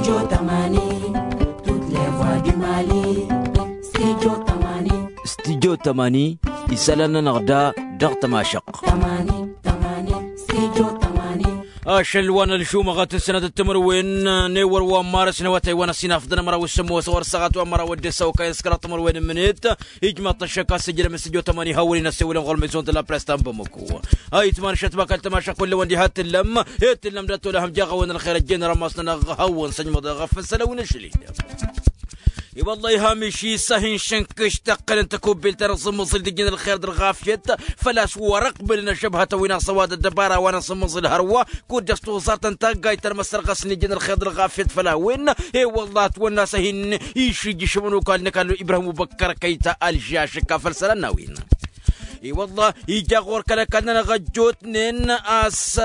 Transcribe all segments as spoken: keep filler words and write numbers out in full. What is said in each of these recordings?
Studio tămani. Studio tămani. Isălan-nănăɣ da dăɣ-tămašăɣt. Ašăl wa n-ălžumăɣăt n-sănătăt timǝrwen n-ewăr wa n-marăs n-awătay wa n-ăsinafḍăn ămăraw s-sămmos ɣur-săɣat wa n-măraw ăddesa okayăn s-kăraḍ timǝrwen n-imǝnet. Ijmaḍ-t ăššăk a-s ǝjrăm s-studio tămani hawăn-in-ăssewălăn ɣur-mezon d-la press ta n-bamăko. Ayǝtman šătbakal tămašăk kullăwăn diha t-tǝllăm. He t-tǝllăm dat-tolăhăm jaɣ-awăn ălxer ăjjeen rămas-nănăɣ hawăn-săjmăḍ ɣef n-sălăw n-ašli. I-wălla ihamiši s-ahin šǝnkǝš tăqqălăn tăkubbelt ta n-aẓǝmmăẓǝl d-ijjăn ălxer d-ălɣafyăt. Făl-a-s wăr-ăqbǝlăn ăžžăbhătăn wi n-aẓăwad ăddăbara wa n-aẓǝmmăẓǝl hărwa. Kud-dăɣ s-toẓart n-taggayt ta n-măsărɣăs n-ijjăn ălxer d-ălɣafyăt făll-a-wen. I-wălla ătwănna s-ahin išǝjjǝšămăn okal n-ăkall ibrahim ubăkkăr kăy-ta alži ašǝkka făll-isălan n-a-wen. I-wălla ija ɣur-kăl-ăkall-nănăɣ ăjjootnen a-s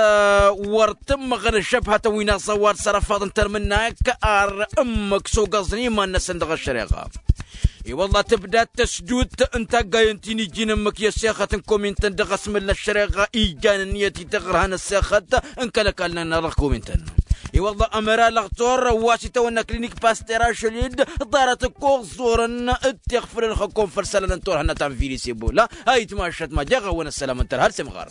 wăr t-ǝmmăɣăn ăžžăbhătăn wi n-aẓăwad s-arăfaḍ n-termǝnnak ar ǝmmǝk s-ogăẓăn iman-năsăn dăɣ-ăššăreɣa. I-wălla tǝbda tăsdut n-taggayen ti n-iji n-ǝmmǝk i-ăssexăt n-komintăn dăɣ-asmǝl n-ăššăreɣa ijan ǝnniyăt i-taɣărha n-ăssexăt n-kăl-ăkall-nănăɣ dăɣ-komintăn. I-wălla ămăra lăɣtor wa s-itawănna klinik paster ašăl-dd ḍarăt ǝkkoẓ ẓorăn d-tiɣfǝlăn xăkkom făll-isălan n-turhǝnna ta n-virus ebola. Ayǝtmašăt ma jaɣ-awăn ăssălam n-tărha d-semɣar.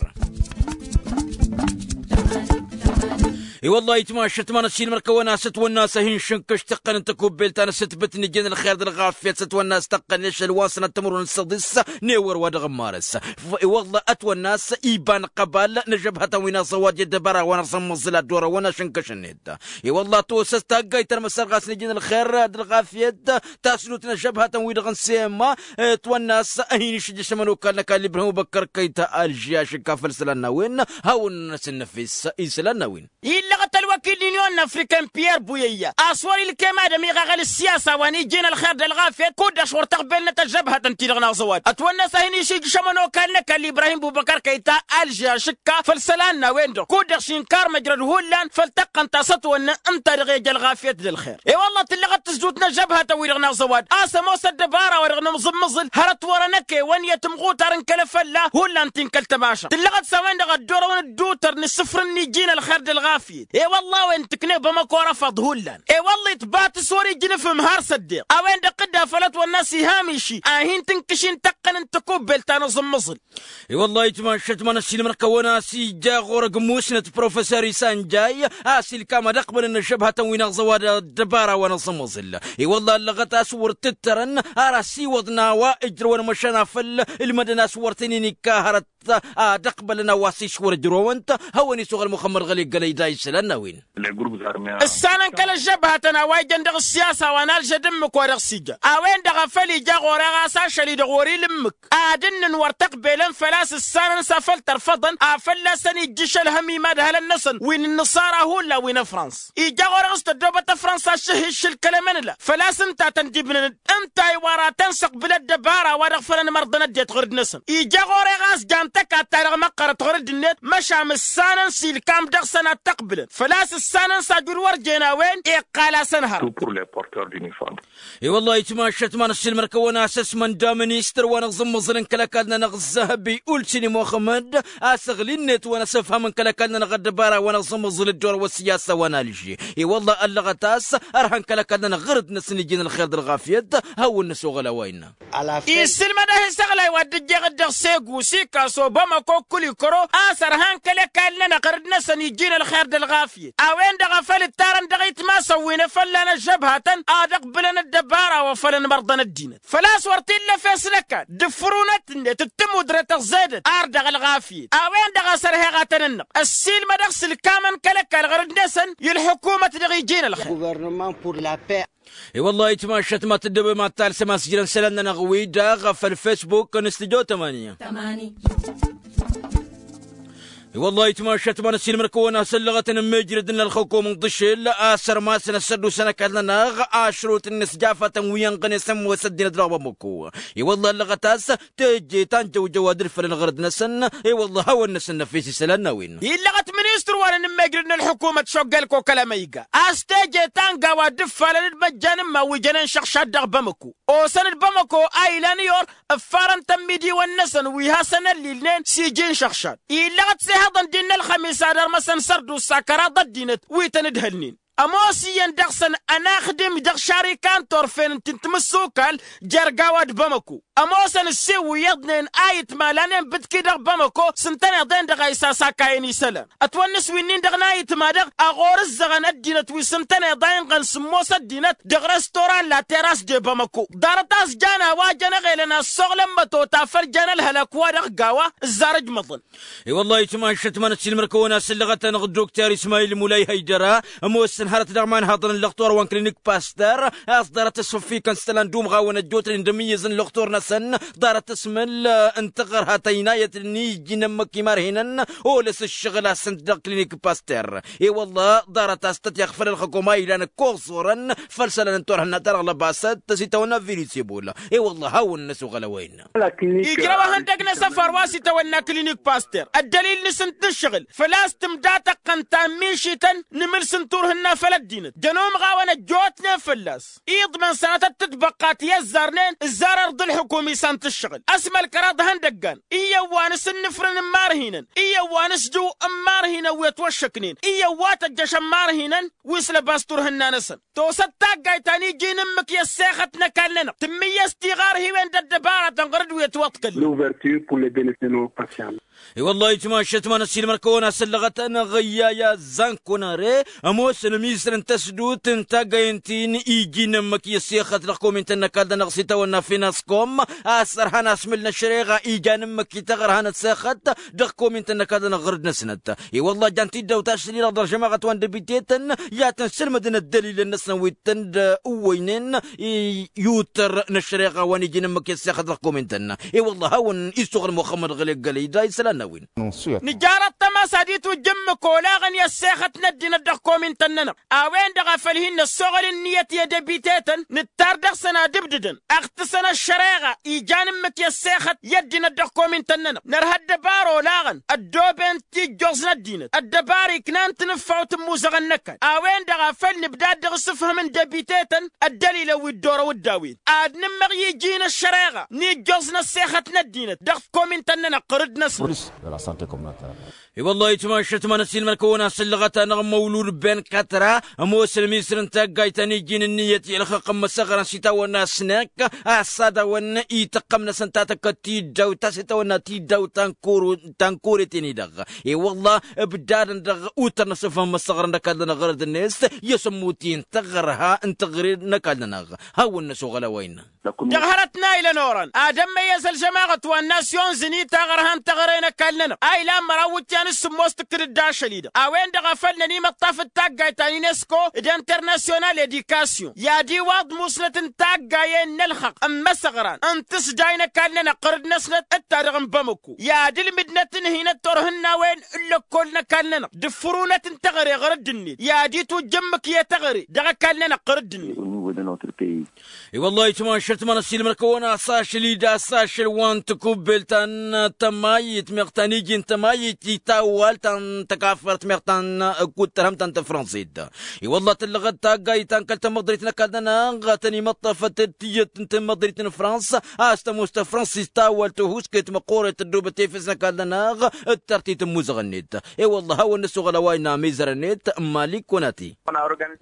I-wălla ayǝtmašăt ma n-ăssiilmăr-kăwăn a-s ătwănna a-s ăhinšǝnkǝš tăqqăn n-tăkubbelt ta n-asǝtbǝt n-ijjăn ălxer d-ălɣafyăt s-ătwănna a-s tăqqăn ešăl wa n-sănat timǝrwen s-săḍis. N-ewăr wa dăɣ-n marăs i-wălla ătwănna a-s iba n-ăqqăbal n-ăžžăbhătăn wi n-aẓăwad i-ăddăbara wa n-aẓǝmmăẓǝl ad-dd-orăwăn ašǝnkăš-net. I-wălla tosăs taggayt ta n-măsărɣas n-ijjăn ălxer d-ălɣafyăt tasdut n-ăžžăbhătăn-wi-dăɣ n-sema. Ătwănna a-s ăhin-išǝjjăšămăn okal n-ăkall ibrahim ubăkkăr kăy-ta alži ašǝkka făll-isălan n-a-wen. Hawăn-năsăn năfes isălan n-a-wen. Illăɣăt ălwăkil n-inyon n-afrika n-piyăr buyăyya a-s wăr-ilkem ad-ămiɣăɣăl ǝssiyasa wa n-iji n-ălxer d-ălɣafyăt kud-dăɣ s-wăr tăɣbelnăt ăžžăbhătăn-ti-dăɣ n-aẓăwad ătwănna a-s ăhin-išǝjjăšămăn okal n-ăkall ibrahim bubăkăr kăy-ta alži ašǝkka făll-isălan n-a-wen-dăɣ kud-dăɣ s-inkar măjrăd hullan făll-tăqqăn ta s-ătwănna ǝnta-dăɣ i-ija ălɣafyăt d-ălxer. I-wălla tǝllăɣăt tǝzdut n-ăžžăbhătăn-wi-dăɣ n-aẓăwad a-s ămoos ăddăbara-wa-dăɣ n-amẓǝmmǝẓǝl hărăt wărăn ăkewăn i-ad-tǝmɣutar n-kăl-afălla hullan ti n-kăl-tămaša tǝllăɣăt s-a-wen-dăɣ ăddoorăwăn ǝddutăr n-asǝfrǝn n-iji n-ălxer d-ălɣafyăt. I-wălla a-wen tǝkneb ămăkor ăfaḍ hullan. I-wălla itbat s-wăr-ijnǝfǝm har s-ăddeɣ a-wen-dăɣ dd-afăl ătwănna a-s ihamiši a hin-tǝnkǝši n-tăqqăn n-tăkubbelt ta n-aẓǝmmǝẓǝl. I-wălla ayǝtmašăt ma n-ăssiilmăr-kăwăn a-s ija ɣur-ăgg musnăt professor isanjay a-s ilkam ad-ăqbălăn ăžžăbhătăn wi n-aẓăwad ăddăbara wa n-aẓǝmmǝẓǝl. I-wălla ăllăɣăt a-s wăr t-ǝttărăn ar ăsiwăḍ n-a-wa ǝjrăwăn măšan afăl ǝlmădăn a-s wăr t-inin ikka hărăt ad-ăqbălăn a-wa s-išwăr ǝjrăwăn-t. Hawăn-isuɣ ălmuxămmăd ɣăli gălăy da isălan n-a-wen. Ǝssanăn kăl-ăžžăbhătăn a-wa ijăn dăɣ-ǝssiyasa wa n-alžăd ǝmmǝk wa dăɣ-s ija a-wen-dăɣ a făl ija ɣur-e ɣas ašăl-i-dăɣ wăr-ila ǝmmǝk ad-ǝnnǝn wăr t-ăqbelăn făl-a-s ǝssanăn s-afăl tărfăḍăn afălla-săn ijjǝš ălhăm i-imadhălăn-năsăn wi n-ǝnnǝṣara hullan wi n-ăfrans. Ija ɣur-e ɣas tăddoobăt ăfrans aššǝhhiššǝl kăl-emănla făl-a-s ǝnta a tăn-dd-ibnănăd ǝnta a-i wăr-ad-tăn-săqbǝl ăddăbara-wa-dăɣ făll-ănmărḍăn ăddinăt ɣur-dd-năsăn. Ija ɣur-e ɣas jan tăkatta-dăɣ măqqărăt ɣur-dd-net măšan ǝssanăn s-ilkam dăɣ-săn ad-t-ăqbǝlăn făl-a-s ǝssanăn s-ajud wăr jen a-wen iqqal-asăn hărăt. I-wălla ayǝtmašăt ma n-ăssiilmăr-kăwăn a-s ăsmănda ministăr wa n-aẓǝmmǝẓǝl n-kăl-ăkall-nănăɣ ǝzzăhăbi ulsini muxămmăd a-s ăɣli-net wa n-asǝfhăm n-kăl-ăkall-nănăɣ ăddăbara wa n-aẓǝmmǝẓǝl dd-orăwăn sǝyasa wa n-alži. I-wălla ăllăɣăt a-s ărhan kăl-ăkall-nănăɣ ɣǝrǝd-năsăn iji n-ălxer d-ălɣafyăt. Hawăn-năsoɣăl a-wa innă. Issǝlmăd-ahi s-aɣlay wa dd-ǝjjeɣ-dd dăɣ-segu sikaso bamăko kulikăro a-s ărhan kăl-ăkall-nănăɣ ɣǝrǝd-năsăn iji n-ălxer d-ălɣafyăt a-wen-dăɣ a făl ǝttarăn dăɣ-itmasăn wi n-efăllan ăžžăbhatăn ad-ăqbǝlăn ăddăbara wa făl ănmărḍăn ăddinăt făl-a-s wăr t-illa efes n-ăkall d-ǝfrunăt-net d-tamudre tăẓẓedăt ar dăɣ-ălɣafyăt. A-wen-dăɣ a-s ărheɣ ad-tăn-ǝnnăɣ ăssiilmădăɣ s-ǝlkamăn kăl-ăkall ɣăr-dd-năsăn i-ălḥukumăt dăɣ-iji n-ălxer. I-wăllah ayǝtmašat ma tǝddǝbăm ad-talsăm a-s ǝjrăn isălan-nănăɣ wi-dăɣ făll-fesbuk n-studyo tămani. I-wăllah ayǝtmašat ma n-ăssiilmăr-kăwăn a-s ăllăɣăt n-ămmijrăd n-ălxukum n-ḍǝšel a-s ărmasăn ăssădusăn ăkall-nănăɣ ašrut n-inǝsjafatăn wi ănɣăne s-ămoos ăddinăt dăɣ-bamăko. I-wăllah ăllăɣăt a-s teje ta n-jăwjăwa d-ǝlfălăn ɣărăt-năsăn. I-wăllah hawăn-năsăn năfes isălan n-a-wen. Illăɣăt ministăr wa n-enǝmmejrăd n-ălḥukumăt šoggălko kăl-amăyga a-s teje ta n-gawa dd-ǝffalăn d-măjjan n-iman wi jănen šăɣšad dăɣ-bamăko. Osăn-dd bamăko a ilan i-or ǝffarăn-tăn imidiwăn-năsăn wi hasăn-ăllilnen s-iji n-šăɣšad. Illăɣăt s-ehăḍăn d-innă ălxămis ad-ărmăsăn sărdusa kăraḍ ăddinăt wi tăn-ǝdhălnen. Ămoos iyyăn dăɣ-săn ănaxdim dăɣ-šarikan turfen n-ti n-timǝssukal jer-gawa d-bamăko. Ămoosăn ǝssiwǝy iyyăḍnen a itmalanen bǝtki dăɣ-bamăko s-ǝntăneḍ-en-dăɣ a isasakayăn isălan. Ătwănnǝs winnin-dăɣ n-a itma-dăɣ a ɣur-ǝzzăɣăn ăddinăt wi s-ǝntăneḍ a inɣăn sǝmmos ăddinăt deg restoran la terras de bamăko. Ḍarăt a-s jan a-wa jăn eɣelăn a ăssoɣlăn mătota făll-jan ălhălak-wa-dăɣ gawa ǝzzar ǝjmăḍăn. I-wăllah itmašăt ma n-ăssiilmăr-kăwăn asǝllăɣăt-anăɣ dd-okter ismayil mulay hăydăra. Ămoosăn hărăt dăɣ-imanhaḍăn n-lăxtor wa n-klinik paster a-s ḍarăt ăsfăffikăn s-isălan d-umɣawăn ăjjootnen d-amǝyyǝz n-lăxtor-năsăn. Ḍarăt ăsmǝl n-taɣărha tăynayăt n-iji n-ǝmmǝk imarhinăn olăs ǝššăɣǝl a-s ǝnta dăɣ-klinik paster. I-wăllah ḍarăt a-s tăt-iɣfăl ălxăkom a ilan ǝkkoẓ orăn făll-isălan n-turhǝnna-ta-dăɣ lăbasăt s-itawănna virisibul. I-wăllah hawăn-năsoɣăl a-wa innă. Ijrăw ehăndăg n-asăfar wa s-itawănna klinik paster ăddălil-nǝsăn tǝššăɣǝl făl-a-s tǝmda tăqqăn tammišităn n-imǝls n-turhǝnna făll-ăddinăt jăn umɣawăn ăjjootnen fălla-s. Iḍmăn sănatăt tǝtbăqqa ti ăzzarnen ǝzzar ărḍ ǝlxǝkum isan tǝššăɣǝl ăsmălkăraḍ ihăndăggan iyyăn wa n-asǝnnǝfrǝn n-imarhinăn iyyăn wa n-asjǝw n-imarhinăn wi ătwăššăknen iyyăn wa tăjjăšăn imarhinăn wi s-lăbas turhǝnna-năsăn. Tosăt taggayt ta n-iji n-ǝmmǝk i-ăssexăt n-ăkall-nănăɣ tǝmmǝyyăs tiɣarhiwen d-ăddăbaratăn ɣur-dd wi ătwăḍkălnen. L'ouverture pour les bénéficiaires. I-wăllah itmašăt ma n-ăssiilmăr-kăwăn asăllăɣăt-anăɣ ǝyyaya zankunare. Ămoosăn ămizăr n-tăsdut n-taggayt n-ti n-iji n-ǝmmǝk i-ăssexăt dăɣ-komintăn n-ăkall-nănăɣ s-itawănna finaskom a-s ărhan asmǝl n-ăššăreɣa ijan ǝmmǝk i-taɣărha n-ăssexăt dăɣ-komintăn n-ăkall-nănăɣ ɣur-dd-năsnăt. I-wăllah jan tiddawt ašăl-i-dăɣ dăɣ-žămaɣăt wa n-debiteten i-ad-tăn-sǝlmǝdăn ăddălilăn-năsăn wi tǝnd-ǝwwăynen i-utăr n-ăššăreɣa wa n-iji n-ǝmmǝk i-ăssexăt dăɣ-komintăn. I-wăllah hawăn-isuɣǝl muxămmăd ɣăli ăggălăy da isălan n-a-wen. Nǝjarăt tămasa d-itwǝjj ǝmmǝk olaɣăn i-ăssexăt n-ăddinăt dăɣ-komintăn-nănăɣ a-wen-dăɣ a făl hin-năssoɣăl ǝnniyăt i-edebiteten nǝttar dăɣ-săn ad-ǝbdǝdăn ăɣtǝsăn ăššăreɣa ijan ǝmmǝk i-ăssexăt i-ăddinăt dăɣ-komintăn-nănăɣ. Nărha ăddăbar olaɣăn ăddooben tijjoẓ n-ăddinăt ăddăbar iknan tinǝffawt n-imuzăɣăn n-ăkall a-wen-dăɣ a făl nǝbdad dăɣ-asǝfhǝm n-debitetăn ăddălilăn wi dd-orăw dd-a-wen ad-nǝmmăɣ i-iji n-ăššăreɣa n-ijjoẓ n-ăssexăt n-ăddinăt dăɣ-komintăn-nănăɣ ɣur-dd-năsnăt. I-wăllah itmašăt ma n-ăssiilmăr-kăwăn asǝllăɣăt-anăɣ măwlud ben katra ămoosăn ămizăr n-taggayt ta n-iji n-ǝnniyăt i-ălxăqq n-imăsăɣrăn s-itawănna snăk a-s ad-awăn ităqqăm-năsăn tatăkkăt tiddawt ta s-itawănna tiddawt ta n-kore-ten-i-dăɣ. I-wăllah ǝbdadăn dăɣ-utăr n-asǝfhǝm n-imăsăɣrăn n-ăkall-nănăɣ ɣur-dd-net i-asǝmmut-i n-taɣărha n-taɣre n-ăkall-nănăɣ. Hawăn-năsoɣăl a-wa innă. Dăɣ-hărăt n-a ilăn orăn ad-ămmăyyăz ălžămaɣăt wa n-nasyon zǝni taɣărha n-taɣre n-ăkall-nănăɣ a ilan măraw iwǝtyan s-sǝmmos tǝkkǝd-dd ašăl-i-dăɣ a-wen-dăɣ a făl nănimăṭṭaf d-taggayt ta n-unesco d-internasyonal edikasyon i-ad-iwaḍ musnăt n-taggayen n-ălxăqq n-imăsăɣran n-tǝsday n-ăkall-nănăɣ ɣur-dd-năsnăt d-ta-dăɣ n-bamăko i-ad-ǝlmǝdnăt ǝnhǝynăt turhǝnnawen n-lăkkol n-ăkall-nănăɣ d-ǝffǝrunăt n-teɣăre ɣur-dd-net i-ad-itwǝjj ǝmmǝk i-teɣăre dăɣ-ăkall-nănăɣ ɣur-dd-net. I-wăllah itmašăt ma n-ăssiilmăr-kăwăn a-s ašăl-i d-a-s ašăl wa n-tikubbelt ta n-tămayit meɣ ta n-iji n-tămayit i-tawwalt ta n-tăkafărt meɣ ta n-kuttărhăm ta n-tăfrănsit. I-wăllah tǝllăɣăt taggayt ta n-kăl-tamăḍrit n-ăkall-nănăɣ tăn-imăṭṭăfăt d-tiyyăt n-tamăḍrit n-frăns a-s tămoos tăfrănsit tawwalt tăhuusket măqqoret tăddoobăt efes n-ăkall-nănăɣ d-tartit n-imuzăɣ-net. I-wăllah hawăn-năsoɣăl a-wa innă amizăr-net n-mali kunati.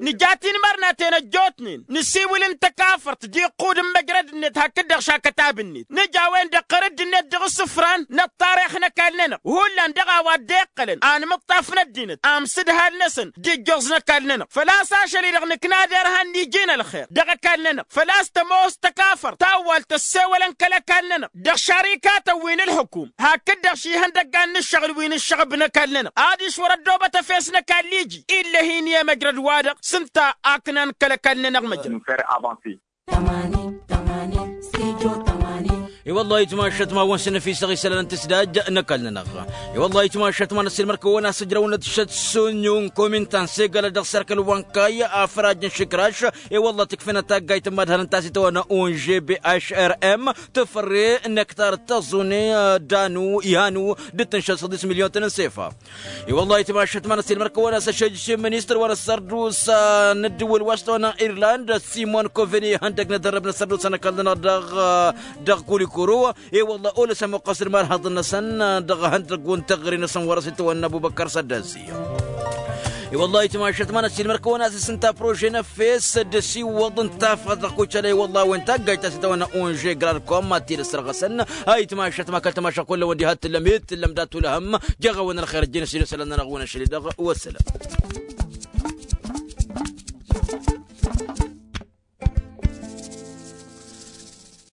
Nǝja tinmărnaten ăjjootnen nǝsiwǝl n-tăkafărt d-iqqud n-măjrăd-net hakd-dăɣ šakătab-net nǝj a-wen-dăɣ ɣărădd-net dăɣ-isǝfran n-ăṭṭarix n-ăkall-nănăɣ hullan dăɣ-a-wa dd-iqqălăn anmǝṭṭaf n-ăddinăt amsǝdhal-năsăn d-ijjoẓ n-ăkall-nănăɣ făl-a-s ašăl-i-dăɣ nǝkna derhan n-iji n-ălxer dăɣ-ăkall-nănăɣ făl-a-s tămoos tăkafărt tawwalt ăssewălăn kăl-ăkall-nănăɣ dăɣ-šărikatăn wi n-ǝlxǝkum hakd-dăɣ šihăndăggan n-ǝššăɣǝl wi n-ǝššăɣǝb n-ăkall-nănăɣ adiš wăr-ăddoobăt efes n-ăkall iji. Ill'-e-hi n-i-emăjrăd-wa-dăɣ s-ǝnta a ǝknan kăl-ăkall-nănăɣ măjrăd. Tămani tămani s-tijo tămani. I-wăllah itmašăt ma wăn s-năfisăɣ isălan n-tǝsdaj n-ăkall-nănăɣ. I-wăllah itmašăt ma n-ăssiilmăr-kăwăn a-s ǝjrăwnăt šăt s-unyu n-komin ta n-segălăt dăɣ-serkăl wa n-kayy afraj n-išǝkraš. I-wăllah tǝkfenăt taggayt n-imad-hărăn ta s-itawănna ongb hrm tǝfărre n-ektar d-tăẓune danu ihanu d-tǝnšăl săḍis milyon-tăn n-sefa. I-wăllah itmašăt ma n-ăssiilmăr-kăwăn a-s ašăjjăš i-ministăr wa n-ăssărdusa n-ǝddǝwǝl wa s-tawănna irland simon koveni ihăndăg n-edărrăb n-ăssărdusa n-ăkall-nănăɣ dăɣ-kulikuru. I-wăllah olăs ămoqqăs d-imarhăḍăn-năsăn dăɣ-ihăndăgg wa n-teɣăre-năsăn wăr-s itawănna ăbubăkkăr săddasi. Wăllah ayǝtmašat ma n-ăssiilmăr kăwăn-asǝs ǝnta prože n-efes d-asiwăḍ n-tafăɣt dăɣ-kucălăy wăllah a-wen taggajt ta s-itawănna onže grad kom ad-t-dd-ăssărɣăsăn. Ayǝtmašat ma kăl-tamašat kull-ăwăn diha t-tǝllăm i-t tǝllăm dat-ulhăm. Jeɣ-awăn ălxer ăjjeen ăssiilăsălăn-nănăɣ-wăn ašăl-i-dăɣ. Wăssălăm.